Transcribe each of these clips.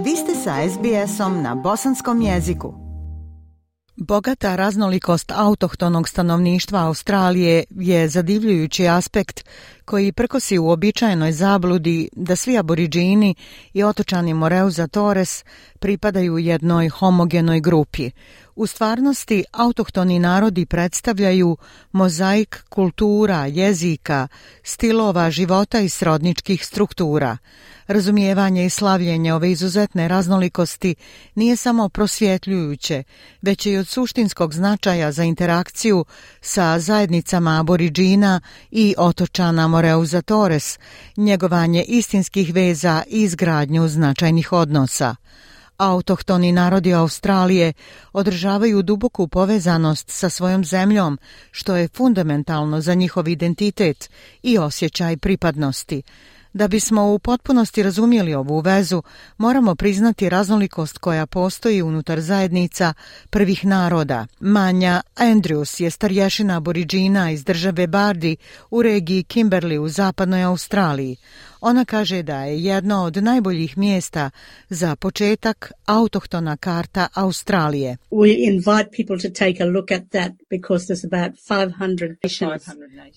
Vi ste sa SBS-om na bosanskom jeziku. Bogata raznolikost autohtonog stanovništva Australije je zadivljujući aspekt koji prkosi u uobičajenoj zabludi da svi aboriđini i otočani Moreuza Torres pripadaju jednoj homogenoj grupi. U stvarnosti, autohtoni narodi predstavljaju mozaik kultura, jezika, stilova života i srodničkih struktura. Razumijevanje i slavljenje ove izuzetne raznolikosti nije samo prosvjetljujuće, već i od suštinskog značaja za interakciju sa zajednicama aboriđina i otočana Moreuza Torres, njegovanje istinskih veza i izgradnju značajnih odnosa. Autohtoni narodi Australije održavaju duboku povezanost sa svojom zemljom, što je fundamentalno za njihov identitet i osjećaj pripadnosti. Da bismo u potpunosti razumjeli ovu vezu, moramo priznati raznolikost koja postoji unutar zajednica prvih naroda. Manja Andrews je starješina aboriđina iz države Bardi u regiji Kimberley u zapadnoj Australiji. Ona kaže da je jedno od najboljih mjesta za početak autohtona karta Australije.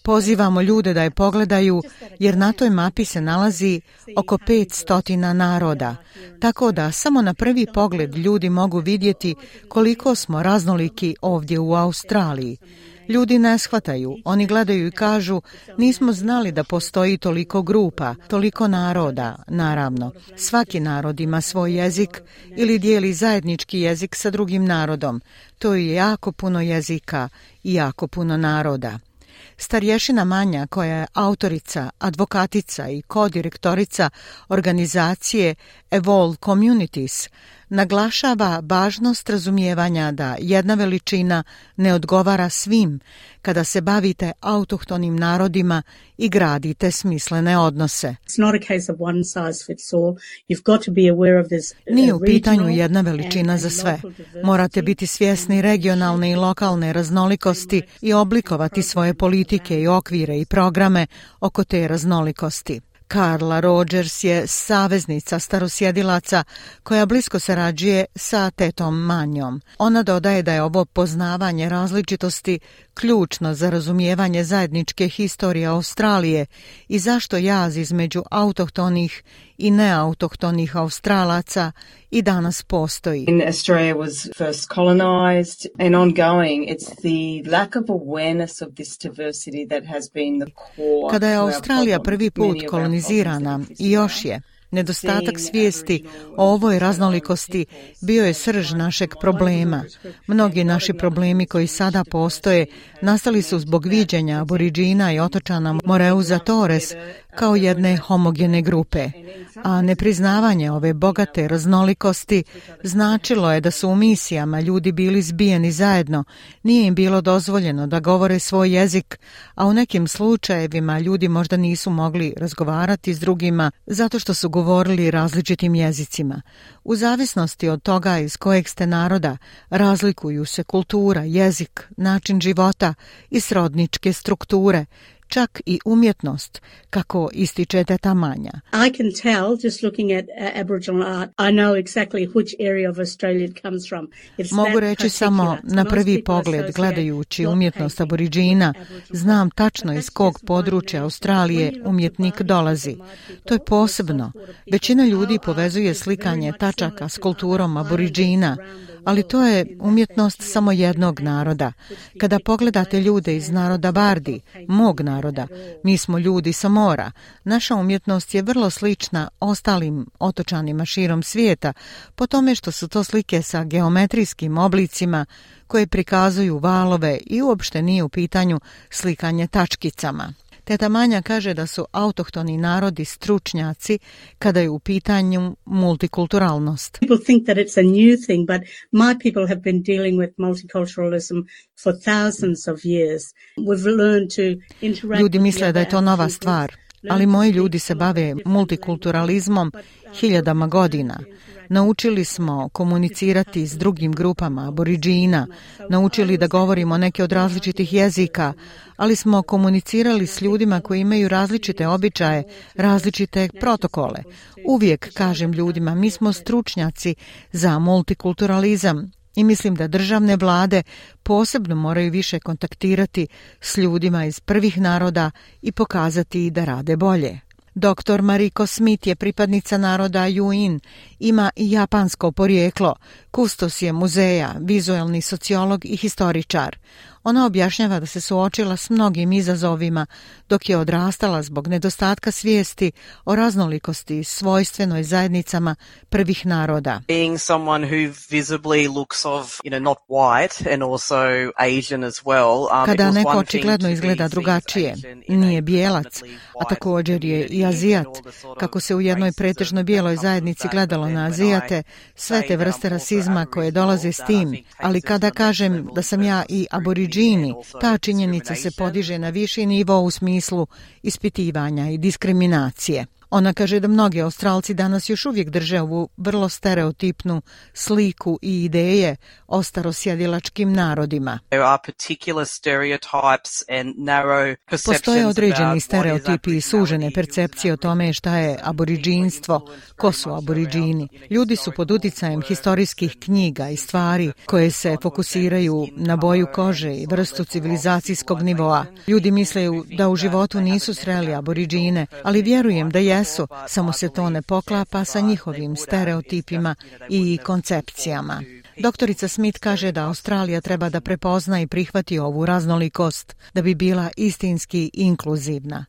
Pozivamo ljude da je pogledaju jer na toj mapi se nalazi oko 500 naroda, tako da samo na prvi pogled ljudi mogu vidjeti koliko smo raznoliki ovdje u Australiji. Ljudi ne shvataju, oni gledaju i kažu nismo znali da postoji toliko grupa, toliko naroda, naravno. Svaki narod ima svoj jezik ili dijeli zajednički jezik sa drugim narodom. To je jako puno jezika i jako puno naroda. Starješina Manja, koja je autorica, advokatica i kodirektorica organizacije Evolve Communities, naglašava važnost razumijevanja da jedna veličina ne odgovara svim kada se bavite autohtonim narodima i gradite smislene odnose. Nije u pitanju jedna veličina za sve. Morate biti svjesni regionalne i lokalne raznolikosti i oblikovati svoje politike i okvire i programe oko te raznolikosti. Carla Rogers je saveznica starosjedilaca koja blisko sarađuje sa tetom Manjom. Ona dodaje da je ovo poznavanje različitosti ključno za razumijevanje zajedničke historije Australije i zašto jaz između autohtonih i neautohtonih Australaca i danas postoji. Australia was first colonized and ongoing, it's the lack of awareness of this diversity that has been the core. Kada je Australija prvi put kolonizirana i još je, nedostatak svijesti o ovoj raznolikosti bio je srž našeg problema. Mnogi naši problemi koji sada postoje nastali su zbog viđenja aboriđina i otočana Moreuza Torres kao jedne homogene grupe, a nepriznavanje ove bogate raznolikosti značilo je da su u misijama ljudi bili zbijeni zajedno, nije im bilo dozvoljeno da govore svoj jezik, a u nekim slučajevima ljudi možda nisu mogli razgovarati s drugima zato što su govorili različitim jezicima. U zavisnosti od toga iz kojeg ste naroda, razlikuju se kultura, jezik, način života i srodničke strukture, čak i umjetnost, kako ističe teta Manja. I can tell just looking at Aboriginal art, I know exactly which area of Australia it comes from. Mogu reći samo na prvi pogled, gledajući umjetnost aboriđina, znam tačno iz kog područja Australije umjetnik dolazi. To je posebno. Većina ljudi povezuje slikanje tačaka s kulturom aboriđina, ali to je umjetnost samo jednog naroda. Kada pogledate ljude iz naroda Bardi, mog naroda, mi smo ljudi sa mora. Naša umjetnost je vrlo slična ostalim otočanima širom svijeta, po tome što su to slike sa geometrijskim oblicima koje prikazuju valove i uopšte nije u pitanju slikanje tačkicama. Teta Manja kaže da su autohtoni narodi stručnjaci kada je u pitanju multikulturalnost. People think that it's a new thing, but my people have been dealing with multiculturalism for thousands of years. We've learned to interact. Ljudi misle da je to nova stvar, ali moji ljudi se bave multikulturalizmom hiljadama godina. Naučili smo komunicirati s drugim grupama aboriđina, naučili da govorimo neke od različitih jezika, ali smo komunicirali s ljudima koji imaju različite običaje, različite protokole. Uvijek kažem ljudima, mi smo stručnjaci za multikulturalizam i mislim da državne vlade posebno moraju više kontaktirati s ljudima iz prvih naroda i pokazati da rade bolje. Dr. Mariko Smith je pripadnica naroda Yuin, ima i japansko porijeklo, kustos je muzeja, vizualni sociolog i historičar. Ona objašnjava da se suočila s mnogim izazovima dok je odrastala zbog nedostatka svijesti o raznolikosti svojstvenoj zajednicama prvih naroda. Being someone who visibly looks of, not white and also Asian as well. Kada neko očigledno izgleda drugačije, nije bijelac, a također je i Azijat, kako se u jednoj pretežno bijeloj zajednici gledalo na Azijate, sve te vrste rasizma koje dolaze s tim, ali kada kažem da sam ja i aboriđini, ta činjenica se podiže na viši nivo u smislu ispitivanja i diskriminacije. Ona kaže da mnogi Australci danas još uvijek drže ovu vrlo stereotipnu sliku i ideje o starosjedilačkim narodima. Postoje određeni stereotipi i sužene percepcije o tome šta je aboriđinstvo, ko su aboriđini. Ljudi su pod uticajem historijskih knjiga i stvari koje se fokusiraju na boju kože i vrstu civilizacijskog nivoa. Ljudi misle da u životu nisu sreli aboriđine, ali vjerujem da jesu, samo se to ne poklapa sa njihovim stereotipima i koncepcijama. Doktorica Smith kaže da Australija treba da prepozna i prihvati ovu raznolikost da bi bila istinski inkluzivna.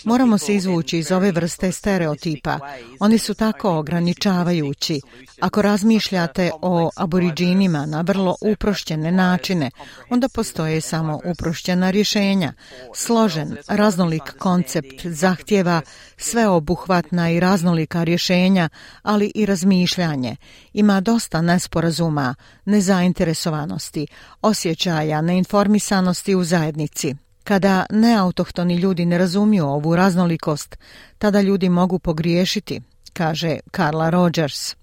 Moramo se izvući iz ove vrste stereotipa. Oni su tako ograničavajući. Ako razmišljate o aboriđinima na vrlo uprošćene načine, onda postoje samo uprošćena rješenja. Složen, raznolik koncept zahtijeva sveobuhvatna i raznolika rješenja, ali i razmišljanje. Ima dosta nesporazuma, nezainteresovanosti, osjećaja neinformisanosti u zajednici. Kada neautohtoni ljudi ne razumiju ovu raznolikost, tada ljudi mogu pogriješiti, kaže Carla Rogers.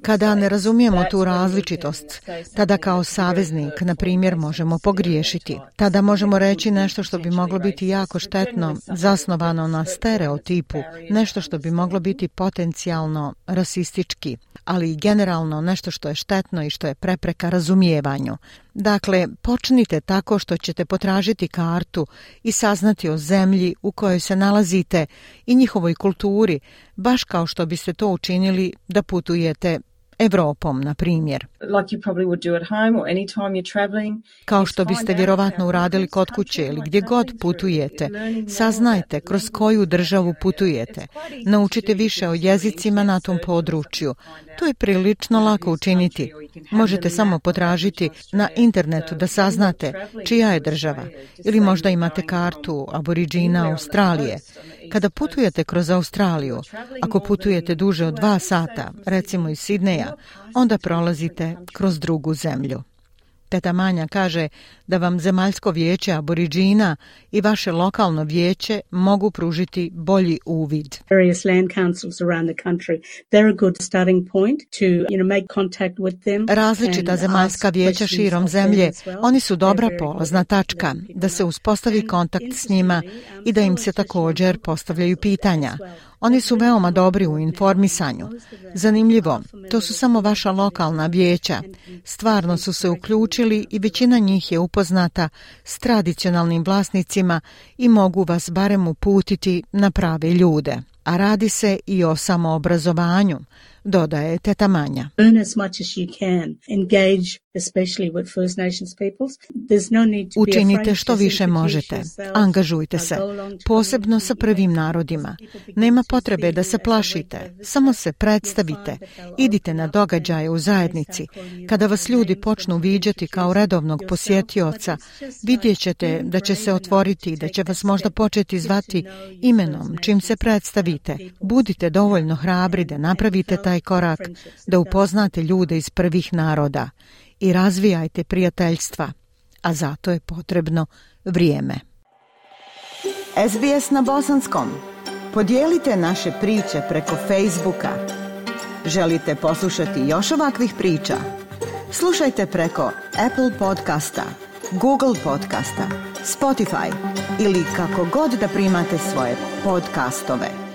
Kada ne razumijemo tu različitost, tada kao saveznik, na primjer, možemo pogriješiti. Tada možemo reći nešto što bi moglo biti jako štetno, zasnovano na stereotipu, nešto što bi moglo biti potencijalno rasistički, ali i generalno nešto što je štetno i što je prepreka razumijevanju. Dakle, počnite tako što ćete potražiti kartu i saznati o zemlji u kojoj se nalazite i njihovoj kulturi, baš kao što biste to učinili da putujete Evropom, na primjer. Kao što biste vjerovatno uradili kod kuće ili gdje god putujete, saznajte kroz koju državu putujete. Naučite više o jezicima na tom području. To je prilično lako učiniti. Možete samo potražiti na internetu da saznate čija je država. Ili možda imate kartu aboriđina Australije. Kada putujete kroz Australiju, ako putujete duže od 2 sata, recimo iz Sidneja, onda prolazite kroz drugu zemlju. Teta Manja kaže da vam zemaljsko vijeće aboriđina i vaše lokalno vijeće mogu pružiti bolji uvid. Various land councils around the country, they're a good starting point to, make contact with them. Različita zemaljska vijeća širom zemlje, oni su dobra polazna tačka da se uspostavi kontakt s njima i da im se također postavljaju pitanja. Oni su veoma dobri u informisanju. Zanimljivo, to su samo vaša lokalna vijeća. Stvarno su se uključili i većina njih je upoznata s tradicionalnim vlasnicima i mogu vas barem uputiti na prave ljude. A radi se i o samoobrazovanju, dodaje teta Manja. Learn as much as you can. Engage especially with First Nations peoples. There's no need to be afraid. Učinite što više možete. Angažujte se, posebno sa prvim narodima. Nema potrebe da se plašite, samo se predstavite. Idite na događaje u zajednici. Kada vas ljudi počnu viđati kao redovnog posjetioca, vidjet ćete da će se otvoriti, da će vas možda početi zvati imenom čim se predstavite. Budite dovoljno hrabri da napravite taj taj korak da upoznate ljude iz prvih naroda i razvijajte prijateljstva, a zato je potrebno vrijeme. SBS na bosanskom. Podijelite naše priče preko Facebooka. Želite poslušati još ovakvih priča? Slušajte preko Apple podcasta, Google podcasta, Spotify ili kako god da primate svoje podcastove.